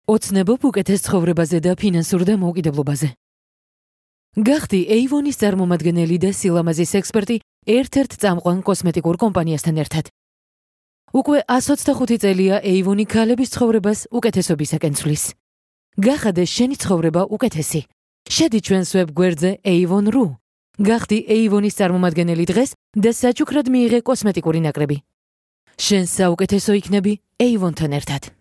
ოცნებობ უკეთეს ცხოვრებაზე და ფინანსურ დამოუკიდებლობაზე. გახდი Avon-ის წარმომადგენელი და სილამაზის ექსპერტი ერთ-ერთ წამყვან კოსმეტიკურ კომპანიასთან ერთად. უკვე 125 წელია Avon-ი ქალების ცხოვრებას უკეთესობისაკენ ცვლის. გახადე შენი ცხოვრება უკეთესი. შედი ჩვენს ვებგვერდზე avon.ru. გახდი Avon-ის წარმომადგენელი დღეს და საჩუქრად მიიღე კოსმეტიკური ნაკრები. შენ საუკეთესო იქნები Avon-თან ერთად.